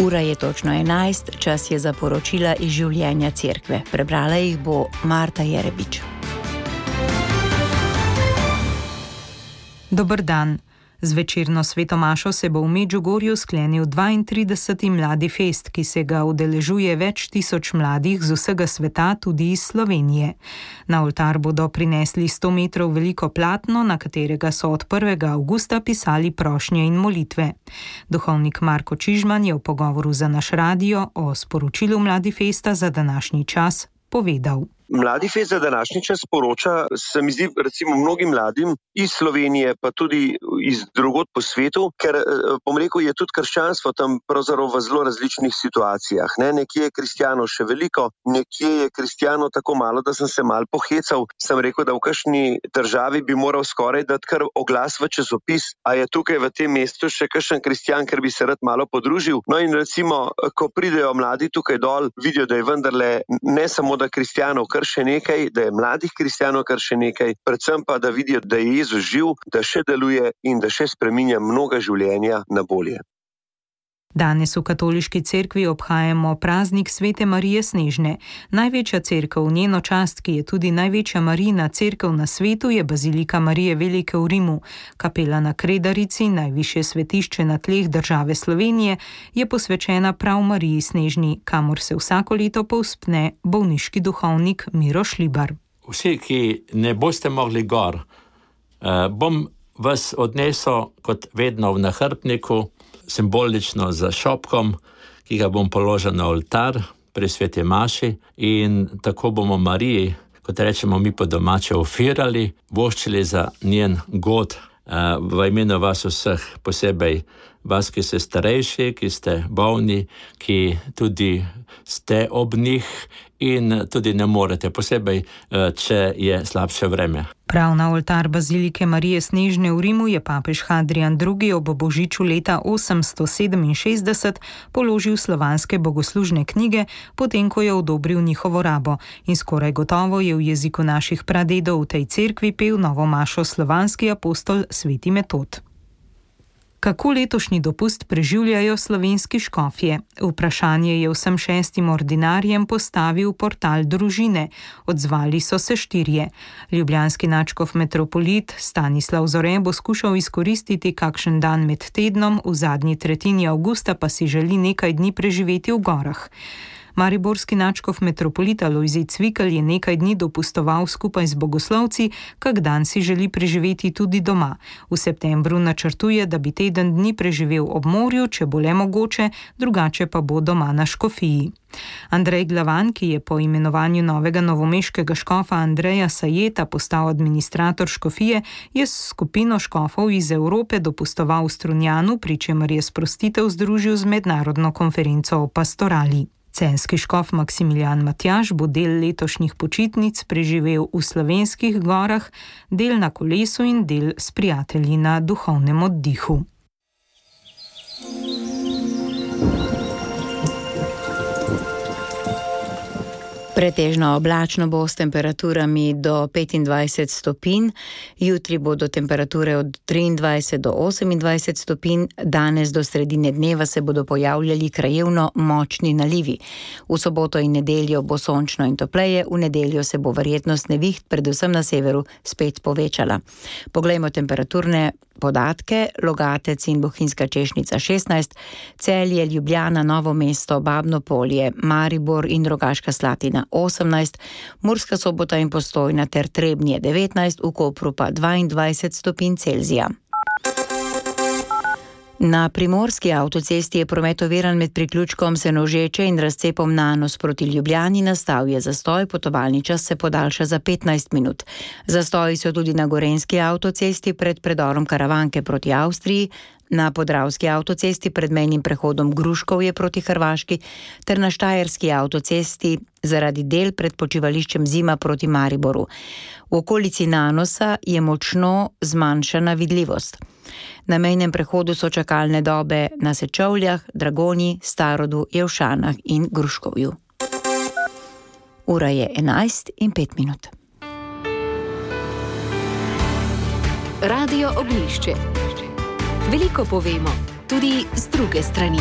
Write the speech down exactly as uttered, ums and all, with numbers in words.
Ura je točno enajst, čas je za poročila iz življenja cerkve. Prebrala jih bo Marta Jerebič. Dober dan. Z večerno svetomašo se bo v Medžugorju sklenil dvaintrideseti Mladi fest, ki se ga udeležuje več tisoč mladih z vsega sveta, tudi iz Slovenije. Na oltar bodo prinesli sto metrov veliko platno, na katerega so od prvega avgusta pisali prošnje in molitve. Duhovnik Marko Čižman je v pogovoru za naš radio o sporočilu Mladi festa za današnji čas povedal. Mladi fest za današnji čas poroča, se mi zdi, recimo mnogim mladim iz Slovenije, pa tudi iz drugod po svetu, ker, bom rekel, je tudi krščanstvo tam pravzaprav v zelo različnih situacijah. Ne? Nekje je kristjanov še veliko, nekje je kristjanov tako malo, da sem se mal pohecal. Sem rekel, da v kakšni državi bi moral skoraj dati kar oglas v časopis, a je tukaj v tem mestu še kakšen kristjan, ker bi se rad malo podružil. No in recimo, ko pridejo mladi tukaj dol, vidijo, da je vendarle ne samo, da kristjanov kar še nekaj, da je mladih kristjanov kar še nekaj, predvsem pa, da vidijo, da je Jezus živ, da še deluje in da še spreminja mnoga življenja na bolje. Danes v katoliški cerkvi obhajamo praznik Svete Marije Snežne. Največja cerkev v njeno čast, ki je tudi največja Marijina cerkev na svetu, je Bazilika Marije Velike v Rimu. Kapela na Kredarici, najvišje svetišče na tleh države Slovenije, je posvečena prav Mariji Snežni, kamor se vsako leto povzpne bolniški duhovnik Miro Šlibar. Vsi, ki ne boste mogli gor, eh, bom vas odnesel kot vedno v nahrbniku, simbolično za šopkom, ki ga bom položil na oltar pri sveti maši, in tako bomo Mariji, kot rečemo mi po domače, ofirali, voščili za njen god v imenu vas vseh, posebej vas, ki ste starejši, ki ste bolni, ki tudi ste ob njih in tudi ne morete, posebej, če je slabše vreme. Prav na oltar Bazilike Marije Snežne v Rimu je papež Hadrijan drugi. ob božiču leta osemsto sedeminšestdeset položil slovanske bogoslužne knjige, potem ko je odobril njihovo rabo, in skoraj gotovo je v jeziku naših pradedov v tej cerkvi pel novo mašo slovanski apostol sveti Metod. Kako letošnji dopust preživljajo slovenski škofje? Vprašanje je vsem šestim ordinarjem postavil portal Družine. Odzvali so se štirje. Ljubljanski nadškof metropolit Stanislav Zore bo skušal izkoristiti kakšen dan med tednom, v zadnji tretjini avgusta pa si želi nekaj dni preživeti v gorah. Mariborski nadškof metropolita Lojzij Cvikl je nekaj dni dopustoval skupaj z bogoslovci, kak dan si želi preživeti tudi doma. V septembru načrtuje, da bi teden dni preživel ob morju, če bo le mogoče, drugače pa bo doma na škofiji. Andrej Glavan, ki je po imenovanju novega novomeškega škofa Andreja Sajeta postal administrator škofije, je s skupino škofov iz Evrope dopustoval v Strunjanu, pri čemer je sprostitev združil z mednarodno konferenco o pastorali. Celjski škof Maksimilijan Matjaž bo del letošnjih počitnic preživel v slovenskih gorah, del na kolesu in del s prijatelji na duhovnem oddihu. Pretežno oblačno bo s temperaturami do petindvajset stopinj, jutri bodo temperature od triindvajset do osemindvajset stopinj, danes do sredine dneva se bodo pojavljali krajevno močni nalivi. V soboto in nedeljo bo sončno in topleje, v nedeljo se bo verjetnost neviht predvsem na severu spet povečala. Poglejmo temperaturne podatke. Logatec in Bohinjska Češnica šestnajst, Celje, Ljubljana, Novo mesto, Babno Polje, Maribor in Rogaška Slatina osemnajst, Murska Sobota in Postojna ter Trebnje devetnajst, v Kopru pa dvaindvajset stopinj Celzija. Na primorski avtocesti je promet oviran med priključkom Senožeče in razcepom Nanos proti Ljubljani, nastal je zastoj, potovalni čas se podaljša za petnajst minut. Zastoji so tudi na gorenjski avtocesti pred predorom Karavanke proti Avstriji, na podravski avtocesti pred mejnim prehodom Gruškovje proti Hrvaški ter na štajerski avtocesti zaradi del pred počivališčem Zima proti Mariboru. V okolici Nanosa je močno zmanjšana vidljivost. Na mejnem prehodu so čakalne dobe na Sečovljah, Dragonji, Starodu, Jevšanah in Gruškovju. Ura je enajst in pet minut. Radio Ognjišče. Veliko povemo, tudi z druge strani.